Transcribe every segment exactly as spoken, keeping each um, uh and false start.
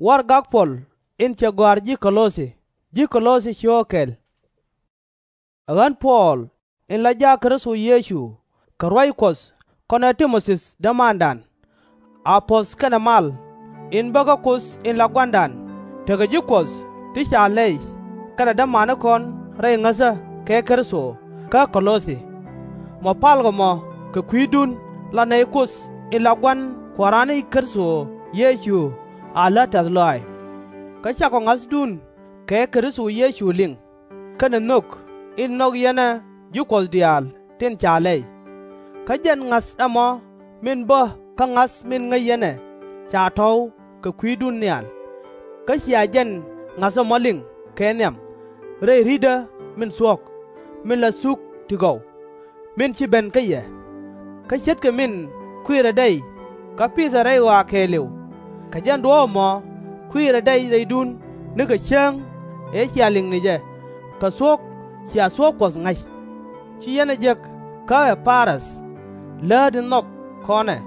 Warɛgak Puɔl in cɛ gɔ̱a̱r ji̱ Kɔ-lɔ-thi, ji̱ Kɔ-lɔ-thi cio̱o̱k kɛl. Ɛ ɣän Puɔl, in la jaak Kritho Yecu kɛ ruac Kuɔth kɔnɛ Ti-mo-thi dämandan, a puɔ̱th kɛnɛ mal, in bä kä Kuoth in la Gua̱a̱ra, tekɛ ji̱ Kuɔth ti ca lɛy kɛnɛ dämanikɔn rɛy ŋäthä kɛ Kritho kä Kɔ-lɔ-thi. Mɔ palkɔ mɔ kɛ kui̱dun la nɛy Kuoth in la Gua̱n Kua̱ran ni Kritho Yecu a lät tɛ̈th lɔaac. Kä cakɔ ŋa̱thdun kɛ Kritho Yecu liŋ, kɛnɛ nhök in nhɔk yɛn ɛ ji̱ Kuɔth diaal tin ca lɛy. Kä jɛn ŋa̱th ɛmɔ min bä kä ŋa̱th min ŋäc yɛn ɛ ca tɔ̱w kɛ kui̱dun nhial. Kä cia jɛn ŋa̱th ɛmɔ liŋ kɛ nhiam, rɛy ri̱tdä min thuɔ̱k, min la thuk ti gɔw, min ci ben kä yɛ. Kä ce̱tkɛ min kui̱rɛ dɛy kä pithɛ rɛy ɣɔaa kɛɛliw, kɛ jɛn duɔ̱ɔ̱p ɛmɔ kui̱rɛ dɛy rɛydun nikɛ cäŋ ëë cia liŋ ni jɛ, kɛ thuɔ̱k cia thuɔ̱k Kuɔth ŋa̱c. Ci yɛn ɛ jek kä Ɛ-pa-rath, läät in nhɔk kɔn ɛ.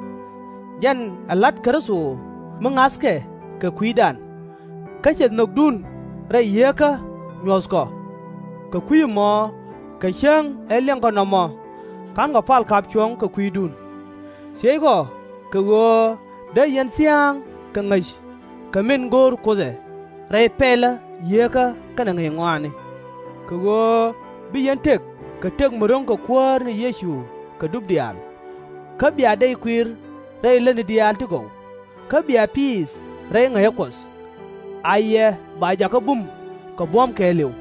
Jɛn ɛ la̱t Kritho mi ŋa̱thkɛ kɛ kui̱dan. Kä cɛ nhökdun rɛy yieekä nyuɔ̱thkɔ. Kɛ kui̱ ɛmɔ kɛ cäŋ ëë liɛŋkɔ nɔmɔ, /ka̱nkɔ pal ka̱p cuɔ̱ŋ kɛ kui̱dun. Thiëckɔ kɛ ɣöö dee yɛn thia̱a̱ŋ kɛ ŋäc kɛ min go̱o̱r Kuoth ɛ rɛy pɛlä yieekä kɛnɛ ŋäc ŋɔaani, kɛ ɣöö bi yɛn tëk kɛ tëk mi ro̱ŋ kɛ Kuäär ni Yecu kɛ dup diaal. Kä bia dɛy kuir rɛy lätni diaal ti gɔw, kä bia piith rɛy ŋäcä Kuɔth. A yɛ ba jakä bum kɛ buɔ̱m kɛɛliw,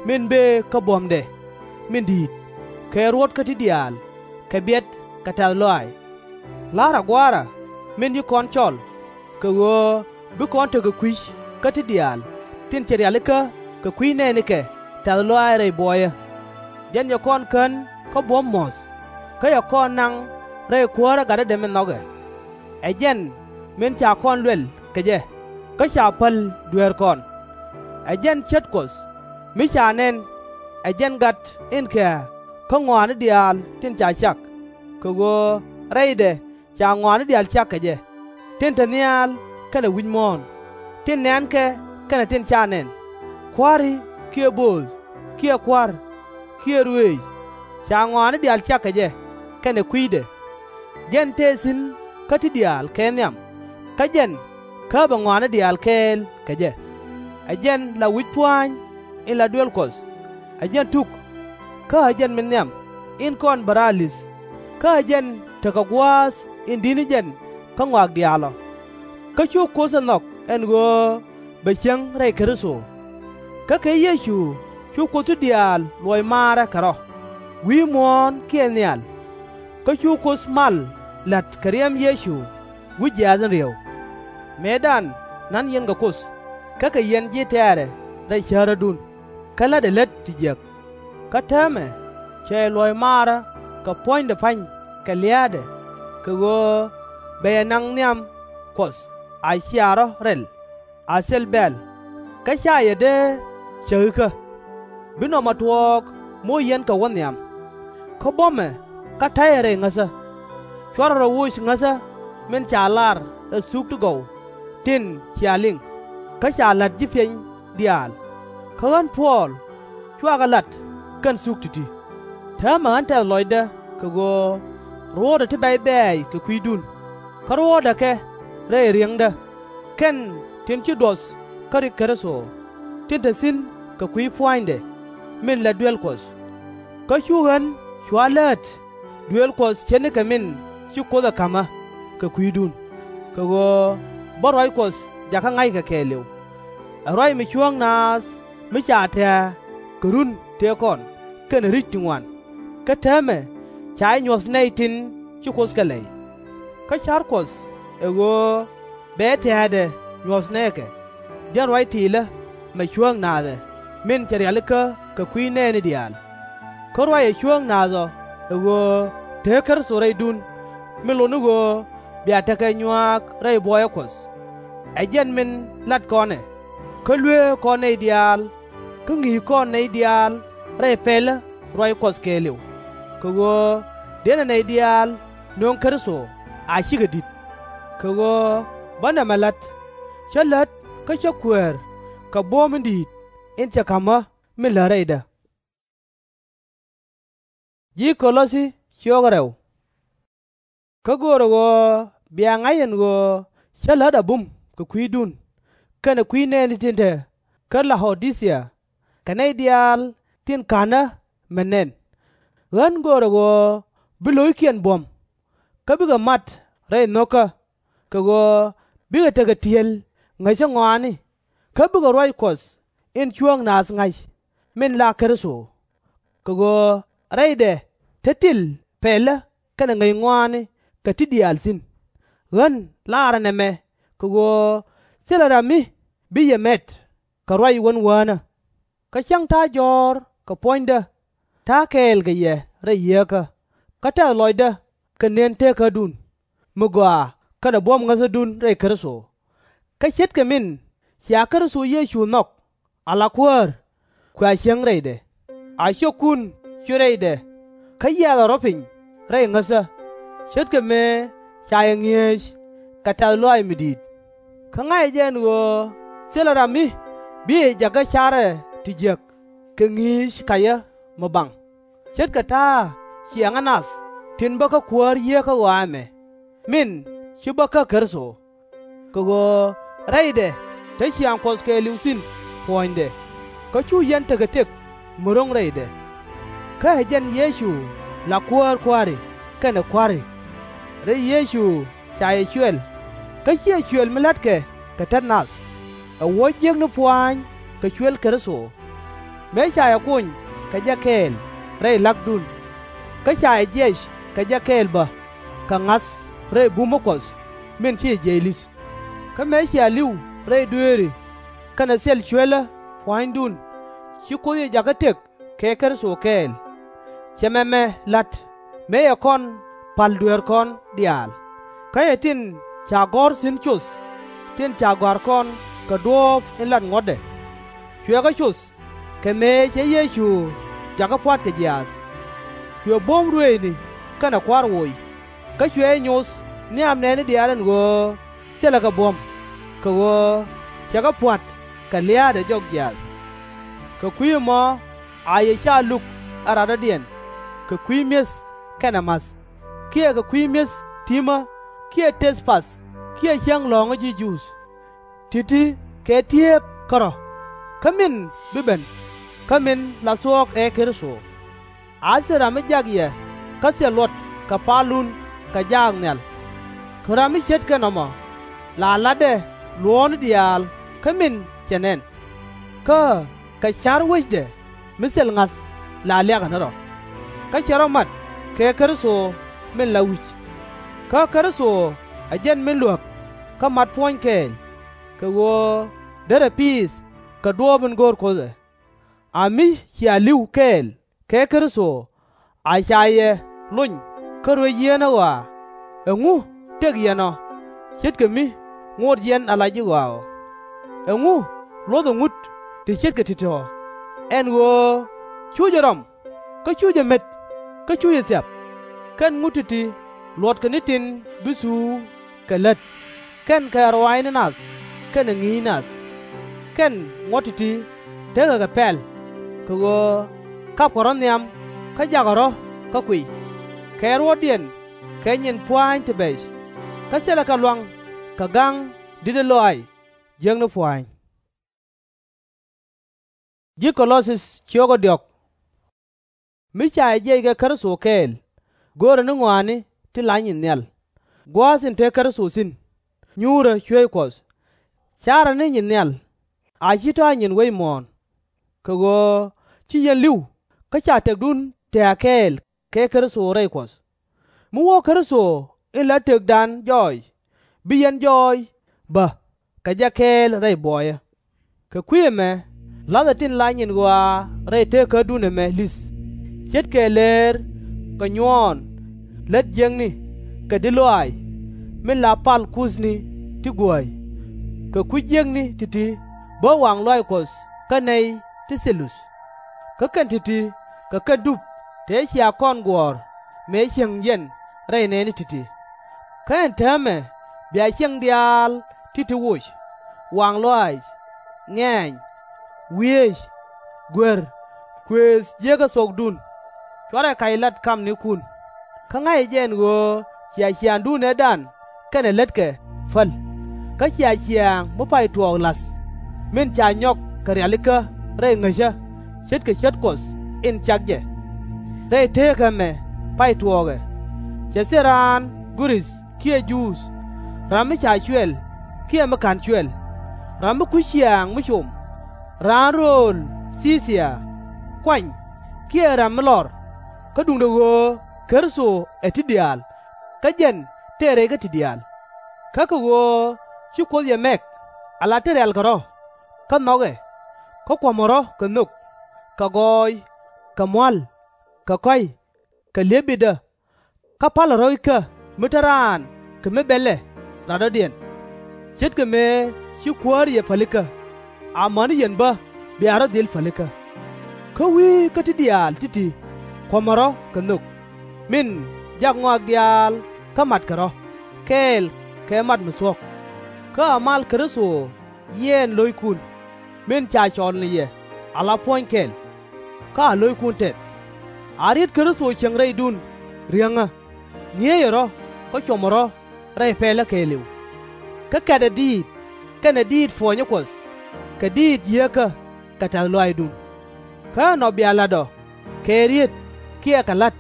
min bëë kä buɔ̱mdɛ min di̱i̱t, kɛ ruɔ̱t kä ti diaal, kɛ biɛt kɛ tɛ̈th lɔaac. La̱rä Gua̱a̱ra min ci kɔn cɔl, kɛ ɣöö bi kɔn tekɛ kui̱c kä ti diaal tin cɛ rialikä kɛ kui̱ nɛɛnikɛ tɛ̈th lɔaac rɛy buɔyä. Jɛn cɛ kɔn kän kä buɔ̱m muɔ̱th, kä cɛ kɔn naŋ rɛy Kuäärä Gatädɛ min nhɔkɛ. Ɛ jɛn min ca kɔn luɛl kɛ jɛ, kä ca päl dueerkɔn. Ɛ jɛn cät Kuɔth mi ca nɛn, ɛ jɛn gat in kɛ̱̈ɛ̱̈ kä ŋɔaani diaal tin ca cak, kɛ ɣöö rɛydɛ ca ŋɔaani diaal cak kɛ jɛ, tin te nhial kɛnɛ wi̱c muɔ̱ɔ̱n, tin nɛ̈nkɛ kɛnɛ tin /ca nɛn, kua̱ri kiɛ bööth kiɛ kua̱r kiɛ ruëëc, ca ŋɔaani diaal cak kɛ jɛ kɛnɛ kui̱dɛ. Jɛn tëë thi̱n kä ti diaal kɛ nhiam, kä jɛn käpɛ ŋɔaani diaal kɛɛl kɛ jɛ. Ɛ jɛn la wi̱c pua̱a̱ny in la duel Kuɔth, ɛ jɛn tuk, kä ɛ jɛn min nhiam in kɔn bɛ raar li̱th, kä ɛ jɛn tekɛ gua̱a̱th in di̱t ni jɛn kä ŋɔak diaal ɔ. Kä cu Kuoth ɛ nhɔk ɛn ɣöö bɛ cieŋ rɛy Kritho. Kä kɛ Yecu cu Kuoth ti diaal luɔc maarä kɛ rɔ, wi̱i̱ muɔ̱ɔ̱n kiɛ nhial. Kä cu Kuoth mal la̱t kɛ riɛm Yecu wi̱c jiaath in ri̱ew. Mëëdan na̱n yɛn kɛ Kuoth, kä kɛ yɛn ji̱ tɛ̈rɛ rɛy cärädun, kä la̱tdɛ lät ti jiäk. Kä täämɛ cɛ yɛ luɔc maarä kɛ puɔ̱nydɛ pa̱ny kɛ lia̱a̱dɛ, kɛ ɣöö bɛ yɛ naŋ nhiam Kuɔth a cia rɔ̱ rɛl a thil bɛ̈ɛ̈l, kä /ca yɛ dee cäkikä. Bi nɔmɔ tuɔɔk mi wä yɛn kɛ wä nhiam. Kä buɔ̱mɛ kä ta̱yɛ rɛy ŋäthä. /Cuarɛ rɔ woc ŋäthä min ca lar ɛ thuk ti gɔw tin cia liŋ, kä ca la̱t ji̱ piɛny diaal. Kä ɣän Puɔl cua kɛ la̱t kɛn thuk ti̱ti̱. Täämɛ ɣän tɛth lɔcdä kɛ ɣöö ruɔ̱ɔ̱tdä ti bɛ̈c bɛ̈ɛ̈c kɛ kui̱dun, kä ruɔ̱ɔ̱tdä kɛ rɛy ri̱eŋdä, kɛn tin ci duɔth kä rik Kritho, tin te thi̱n kɛ kui̱ pua̱nydɛ min la duel Kuɔth. Kä cu ɣän cua läät duëël Kuɔth ce̱tnikɛ min ci Kuoth ɛ ka̱m ɣä kɛ kui̱dun, kɛ ɣöö bä ruac Kuɔth jakä ŋa̱ckɛ kɛɛliw. Ɛ ruac mi cuäŋ naath mi ca tɛ̱̈ɛ̱̈ kɛ run tëë kɔn kɛnɛ ri̱c ti ŋuan, kä täämɛ ca jɛ nyuɔ̱th nɛy tin ci Kuoth kɛ lɛy. Kä ca̱r Kuɔth ɛ ɣöö bɛ tɛ̱̈ɛ̱̈dɛ nyuɔ̱th nɛɛkɛ, jɛn ruac tiilä mɛ cuäŋ naath ɛ min cɛ rialikä kɛ kui̱ nɛɛni diaal. Kä ruac ɛ cuäŋ naath ɔ ɛ ɣöö te Kritho rɛydun, min lot ni ɣöö bia tekɛ nyuaak rɛy buɔyä Kuɔth. Ɛ jɛn min lat kɔn ɛ, kä luëëk kɔn nɛy diaal, kä ŋi̱i̱c kɔn nɛy diaal rɛy pɛlä ruac Kuɔth kɛɛliw, kɛ ɣöö dënɛ nɛy diaal nöŋ Kritho a cikɛ di̱t. Kɛ ɣöö bä nɛmɛ la̱t, cä lät kä cä kueer kɛ buɔ̱m in di̱i̱t in cɛ ka̱m ɣä min lät rɛydä. Kä göörä ɣöö bia ŋa̱c ɛn ɣöö cä lät a bum kɛ kui̱dun, kɛnɛ kui̱ nɛɛni tin te kä La-o-di-thia, kɛ nɛy diaal tin /ka̱n ɣä mɛ nɛn. Ɣän göörä ɣöö bi lo̱ckiɛn buɔ̱m, kä bikɛ mat rɛy nho̱kä, kɛ ɣöö bikɛ tekɛ ti̱el ŋäcä ŋɔaani, kä bikɛ ruac Kuɔth in cuäŋ naath ŋa̱c, min la Kritho. Kɛ ɣöö rɛydɛ te til pɛlä kɛnɛ ŋäc ŋɔaani kɛ ti diaal thi̱n. Ɣän laarä nɛmɛ kɛ ɣöö thilɛ ram mi bi yɛ mɛt kɛ ruac wän wäänä. Kä cäŋ ta̱a̱ jɔ̱ɔ̱r kɛ puɔ̱nydä, ta̱a̱ kɛɛl kɛ yɛ rɛy yieekä, kä tɛ̈th lɔcdä kɛ nën teekädun, mi gɔaa kɛnɛ buɔ̱m ŋäthädun rɛy Kritho. Kä ce̱tkɛ min cia Kritho Yecu nhɔk ala Kuäär, kua cieŋ rɛydɛ, a ciökun cuël rɛydɛ, kä yiathɛ rɔ̱ piny rɛy ŋäthä, ce̱tkɛ mëë ca yɛ ŋi̱eec kɛ tɛ̈th lɔaac mi di̱i̱t. Kä ŋa̱cä jɛ ɛn ɣöö thilɛ ram mi bi yɛ jakä carɛ ti jiäk kɛ ŋi̱i̱c kacä mi baŋ, ce̱tkɛ ta̱a̱ ciɛŋä nath tin bä kä kuäär yieekä ɣɔaa ɛmɛ, min ci bä kä Kritho. Kɛ ɣöö rɛydɛ te ciaŋ Kuɔth kɛɛliw thi̱n puɔ̱nydɛ, kä cu yɛn tekɛ tëk mi ro̱ŋ rɛydɛ. Kä ɛ jɛn Yecu la Kuäär kua̱ri kɛnɛ kua̱ri. Rɛy Yecu ca yɛ cuɛl, kä /ciɛ cuël mi la̱tkɛ kɛ tet nath, ɛ wuɔ̱c jiäkni pua̱a̱ny kɛ cuël Kritho. Mëë ca yɛ kony kɛ jɛ kɛɛl rɛy la̱kdun, kä ca yɛ jiɛc kɛ jɛ kɛɛl bä kɛ ŋa̱th rɛy bumä Kuɔth min ci jiɛc li̱th. Kä mëë cia li̱w rɛy dueeri kɛnɛ thil cuelä pua̱a̱nydun, ci Kuoth yɛ jakä tëk kɛ Kritho kɛɛl. Cɛ mɛmɛ la̱t mëë cɛ kɔn pa̱l dueerkɔn diaal, kä cɛ tin ca gɔ̱r thi̱n coth, tin ca gɔ̱a̱r kɔn kɛ duɔ̱ɔ̱p in lat ŋuɔ̱tdɛ. Cuɛ kɛ coth kɛ mëë cɛ Yecu jakä pua̱t kɛ jiaath. Cuɛ buɔ̱m ruëëcni kɛnɛ kua̱r woc, kä cuɛ jɛ nyoth nhiam nɛɛni diaal ɛn ɣöö thilɛ kɛ buɔ̱m, kɛ ɣöö cɛ kɛ pua̱t kɛ lia̱a̱dɛ jɔk jiaath. Kɛ kui̱ ɛmɔ a yɛ /ca luk ɛ radɔ̱diɛn kɛ kui̱ mi̱eth kɛnɛ ma̱th, kiɛ kɛ kui̱ mi̱eth ti̱mä, kiɛ tëth path, kiɛ cäŋ lɔ̱ŋä ji̱ Juudh. Ti̱ti̱ kɛ ti̱eep kärɔ̱, kä min bi ben, kä min la thuɔ̱k ɛ Kritho. A thil ram mi jak yɛ kä thil luɔt kɛ palun kɛ jaak nhial. Kä ram mi ce̱tkɛ nɔmɔ la la̱tdɛ luɔ̱ɔ̱tni diaal kä min cɛ nɛn. Kä kɛ ca̱r wecdɛ mi thil ŋa̱th la liakɛ ni rɔ. Kä cɛ rɔ mat kɛ Kritho min la wi̱c. Kä Kritho ɛ jɛn min luäk kä mat puɔ̱ny kɛɛl, kɛ ɣöö derɛ piith kɛ duɔ̱ɔ̱p in go̱o̱r Kuoth ɛ. A mi cia li̱w kɛɛl kɛ Kritho, a ca yɛ lony kä ruec yieenä ɣɔaa. Ɛŋu tëk yɛn ɔ, ce̱tkɛ mi ŋot yɛn ala ji̱ ɣɔaa ɔ? Ɛŋu luɔ̱thɛ ŋut ti ce̱tkɛ ti̱ti̱ ɔ? Ɛn ɣöö cu jɛ rɔm, kä cu jɛ met, kä cu jɛ thiap. Kɛn ŋut ti̱ti̱ luɔtkɛ ni tin bi thuuk kɛ lät, kɛn kɛ ruaacni nath kɛnɛ ŋi̱i̱c nath. Kɛn ŋuɔ̱t ti̱ti̱ tekɛ kɛ pɛl, kɛ ɣöö kapkɛ rɔ̱ nhiam kä jakɛ rɔ̱ kä kuiy, kɛ ruɔ̱tdiɛn kɛ nyin pua̱a̱ny ti bɛc, kä thilɛ kɛ luaŋ kɛ ga̱ŋ di̱tdä lɔaac jiäkni pua̱a̱ny. Mi ca yɛ jiɛc kɛ Kritho kɛɛl, görɛ ni ŋɔaani ti la nyin nhial, gua̱a̱th in te Kritho thi̱n, nyuurä cueec Kuɔth. Carɛ ni nyin nhial, a /ci tɔ̱ a nyin wec muɔ̱ɔ̱n. Kɛ ɣöö ci yɛn li̱w kä ca tëkdun tɛ̱̈ɛ̱̈ kɛɛl kɛ Kritho rɛy Kuɔth. Mi wä Kritho in la tëkdan jɔɔc, bi yɛn jɔɔc bä kɛ jɛ kɛɛl rɛy buɔyä. Kɛ kui̱ ɛmɛ la̱thɛ tin la nyin ɣɔaa rɛy teekädun ɛmɛ li̱th, ce̱tkɛ leer kɛ nyuɔɔn lät jiäkni kɛ di̱t lɔaac min la pal kuthni ti guäy, kɛ kui̱ jiäkni ti̱ti̱ bä waŋ lɔaac Kuɔth kä nɛy ti thil luth. Kä kɛn ti̱ti̱ kɛ kɛn dup tëë cia kɔn guɔ̱ɔ̱r mëë cieŋ yɛn rɛy nɛɛni ti̱ti̱. Kä ɛn täämɛ bia ciɛŋ diaal ti̱ti̱ woc. waŋ lɔaac, ŋɛ̈ny, wieec, guer, kuëëth jiäkä thuɔkdun. /Cuarɛ kac lat kamnikun. Kä ŋa̱cɛ jɛ ɛn ɣöö cia ciaaŋdun ëëdan kɛnɛ lätkɛ päl, kä cia ciaaŋ mi pay tuɔɔk la̱th, min ca nyɔk kɛ rialikä rɛy ŋäcä, ce̱tkɛ cät Kuɔth in cak jɛ. Rɛy teekä ɛmɛ pay tuɔɔkɛ, cɛ thil raan Gurith kiɛ Juudh, ram mi ca cuɛl kiɛ mi /ka̱n cuɛl, ram mi kui̱c ciaaŋ mi com, raan rööl Thi-thia, kuany kiɛ ram mi lɔr, kä duundɛ ɣöö Kritho ɛ ti diaal, kä jɛn tëë rɛy kä ti diaal. Kä kɛ ɣöö ci Kuoth yɛ mɛk ala tin rialkɛ rɔ̱, kä nhɔkɛ, kä kuɔ̱mɛ rɔ̱ kɛ nhök, kɛ gɔɔy, kɛ mua̱l, kɛ kɔ̱a̱c, kɛ li̱ep bitdä, kä pa̱lɛ rɔ̱ ikä mi te raan kɛ mi bɛlɛ rat rɔ̱diɛn, ce̱tkɛ mëë ci kuäär yɛ pälikä, amäni yɛn bä bia rɔ̱ dhil pälikä. Kä wi̱i̱ kä ti diaal ti̱ti̱ kuɔ̱mɛ rɔ̱ kɛ nhök, min jak ŋɔak diaal kä matkɛ rɔ̱, kɛɛl kɛ mat mi thuɔ̱k. Kä a mal Kritho yiɛɛn lo̱ckun, min ca cɔl ni yɛ ala puɔ̱ny kɛl, kä a lo̱ckun tɛth. A riet Kritho cieŋ rɛydun riäŋä, ŋi̱eecɛ rɔ̱ kä cuɔmɛ rɔ̱ rɛy pɛlä kɛɛliw. Kä kɛtɛ diit kɛnɛ diit puɔnyä Kuɔth, kɛ diit yieekä kɛ tɛ̈th lɔaacdun. Kä ɛnɔ bia la̱t ɔ kɛ riet kiɛ kɛ la̱t,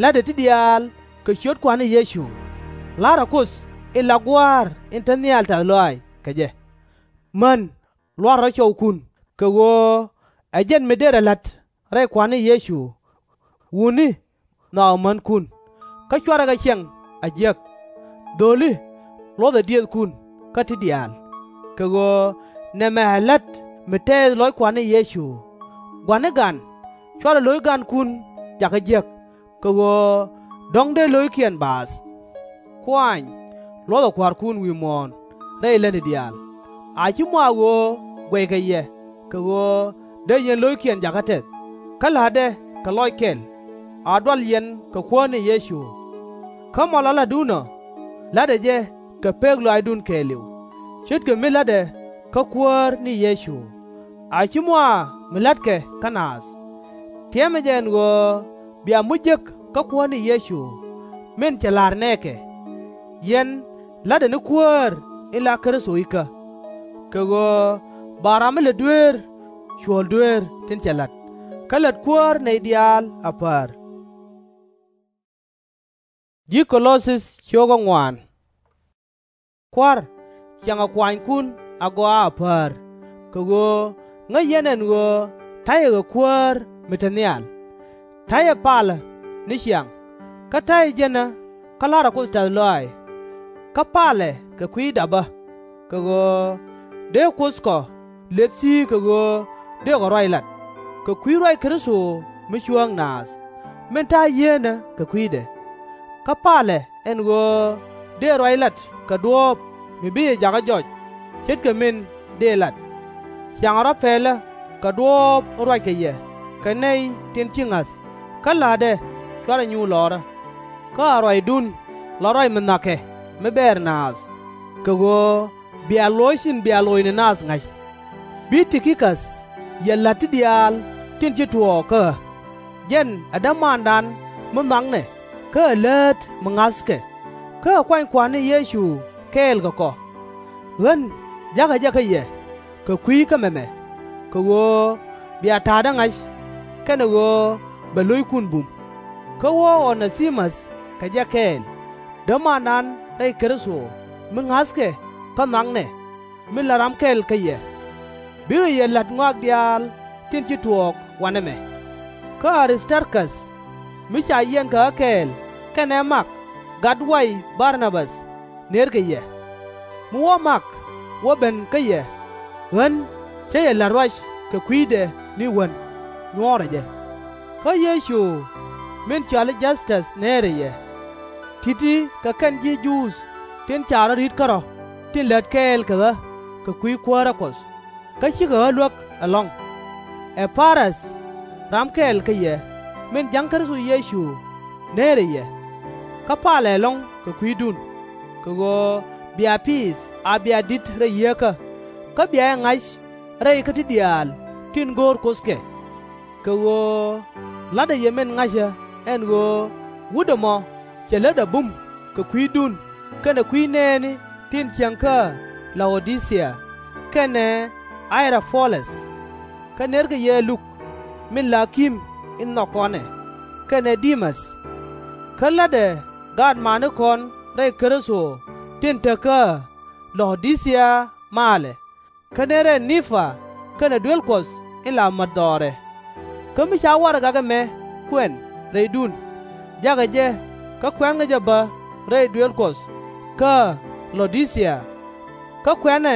la̱tdɛ ti diaal kɛ ciöt Kua̱r ni Yecu, la̱rɛ Kuoth in la Gua̱a̱r in te nhial tɛ̈th lɔaac kɛ jɛ. Män, lua̱rɛ rɔ̱ cɔwkun, kɛ ɣöö ɛ jɛn mi dërɛ la̱t rɛy Kua̱r ni Yecu. Wutni, nhɔakɛ mänkun, kä /cuarɛ kɛ ciɛŋ a jiäk. Dho̱li, luɔ̱thɛ diëëthkun kä ti diaal, kɛ ɣöö nɛmɛ ɛ la̱t mi tɛɛth lɔc Kua̱r ni Yecu. Gua̱ni gan, /cuarɛ lo̱c gankun jakä jiäk, kɛ ɣöö dɔ̱ŋ dee lo̱ckiɛn baath. Kuaany, luɔ̱thɛ kua̱rkun wi̱i̱ muɔ̱ɔ̱n rɛy lätni diaal. A /ci mɔ a ɣöö guɛckɛ yɛ kɛ ɣöö dee yɛn lo̱ckiɛn jakä tɛth, kä la̱tdɛ kɛ lɔc kɛl, a dual yɛn kɛ Kuäär ni Yecu. Kä mɔ la la̱tdun ɔ, la̱tdɛ jɛ kɛ pek lɔaacdun kɛɛliw, ce̱tkɛ mi la̱tdɛ kä Kuäär ni Yecu, a /ci mɔ a mi la̱tkɛ kä naath. Tiɛmɛ jɛ ɛn ɣöö bia muc jek kä Kuäär ni Yecu, min cɛ la̱r nɛɛkɛ. Yɛn la̱tdɛ ni Kuäär in la Kritho ikä, kɛ ɣöö ba ram mi lät dueer cuɔ̱l dueer tin cɛ la̱t, kä lät Kuäär nɛy diaal a päär. Kua̱r, ciaŋɛ kuanykun agɔaa a päär, kɛ ɣöö ŋäc yɛn ɛn ɣöö ta̱yɛ kɛ Kuäär mi te nhial. Ta̱yɛ palä ni ciaŋ, kä ta̱yɛ jänä kä la̱rä Kuoth tɛ̈th lɔaac. Kä palɛ kɛ kui̱ dapä, kɛ ɣöö dee Kuoth kɔ lëp thi̱i̱k kɛ ɣöö dëëkɔ ruac lat, kɛ kui̱ ruac Kritho mi cuääŋ naath, min ta̱a̱ yieenä kɛ kui̱dɛ. Kä palɛ ɛn ɣöö dëë ruac lat kɛ duɔ̱ɔ̱p mi bi jɛ jakä jɔc, ce̱tkɛ min dëë lat. Ciaŋɛ rɔ̱ pɛlä kɛ duɔ̱ɔ̱p in ruackɛ yɛ kɛ nɛy tin ci ŋa̱th, kä la̱tdɛ /cuarɛ nyuur lɔrä. Kä a ruacdun la ruac mi nhɔakɛ mi bɛɛr naath, kɛ ɣöö bia luɔc tin bia loc ni naath ŋa̱c. Bi Ti-ki-käth yɛ la̱t ti diaal tin ci tuɔɔk kä ɣä. Jɛn ɛ dämandan mi nhɔaknɛ kä ɛ läät mi ŋa̱thkɛ, kä ɛ kuany Kua̱r ni Yecu kɛɛl kɛ kɔ. Ɣän ja̱kä jɛ kä yɛ kɛ kui̱ kä mɛmɛ, kɛ ɣöö bia ta̱a̱dä ŋa̱c, kɛnɛ ɣöö bɛ lo̱ckun bum. Kä wä O-nɛ-thi-mäth kɛ jɛ kɛɛl, dämandan rɛy Kritho mi ŋa̱thkɛ kä nhɔaknɛ, min la ram kɛl kä yɛ. Bikɛ yɛ la̱t ŋɔak diaal tin ci tuɔɔk wanɛ mɛ. Kä Ä-rith-tar-käth, mi ca yiɛn kɛ ɣä kɛɛl kɛnɛ Mak gat way Bar-na-bäth, nërkɛ yɛ. Mi wä Mak wä ben kä yɛ, ɣän cä yɛ la̱t ruac kɛ kui̱dɛ ni wän, nyuɔ̱ɔ̱rɛ jɛ. Kä Yecu min cɔali Jäth-täth neerɛ yɛ. Ti̱ti̱ kɛ kɛn ji̱ Juudh tin ca rɔ̱ ri̱t kärɔ̱ tin lät kɛɛl kɛ ɣä kɛ kui̱ Kuäärä Kuɔth, kä cikɛ ɣä luäk ɛlɔ̱ŋ. Ɛ-pa-rath, ram kɛl kä yɛ, min ja̱ŋ Kritho Yecu, neerɛ yɛ. Kä palɛ ɛlɔ̱ŋ kɛ kui̱dun, kɛ ɣöö bia piith a bia di̱t rɛy yieekä, kä bia jɛ ŋa̱c rɛy kä ti diaal tin go̱o̱r Kuoth kɛ. Kɛ ɣöö la̱tdä yɛ min ŋa̱cä ɛn ɣöö wut ɛmɔ cɛ lätdɛ bum kɛ kui̱dun kɛnɛ kui̱ nɛɛni tin cieŋ kä La-o-di-thia, kɛnɛ Ɣay-ra-po-lɛth. Kä nërkɛ yɛ Luk min la ki̱m in nhɔk kɔn ɛ, kɛnɛ Di-mäth. Kä la̱tdɛ gaatmanikɔn rɛy Kritho tin te kä La-o-di-thia malɛ, kä nërɛ Nim-pa kɛnɛ duel Kuɔth in la mät dhɔrɛ. Kä mi ca warɛgak ɛmɛ kuɛn rɛydun, jakɛ jɛ kä kuɛ̈nkɛ jɛ bä rɛy duel Kuɔth kä La-o-di-thia. Kä kuɛ̈nɛ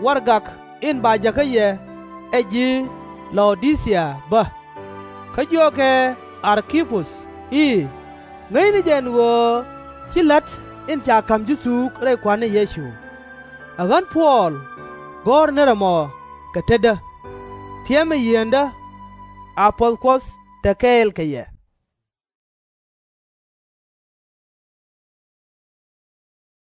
warɛgak in ba jäkä yɛ ɛ ji̱ La-o-di-thia bä. Kä jiökɛ Ar-ki-puth i̱, Ŋäcni jɛ ɛn ɣöö ci la̱t in ca ka̱m ji̱ thuuk rɛy Kua̱r ni Yecu. Ɛ ɣän Puɔl gɔ̱r nɛrɛ mɔ kɛ tetdä. Tiɛmɛ yieenä, a puɔ̱th Kuɔth te kɛɛl kɛ yɛ.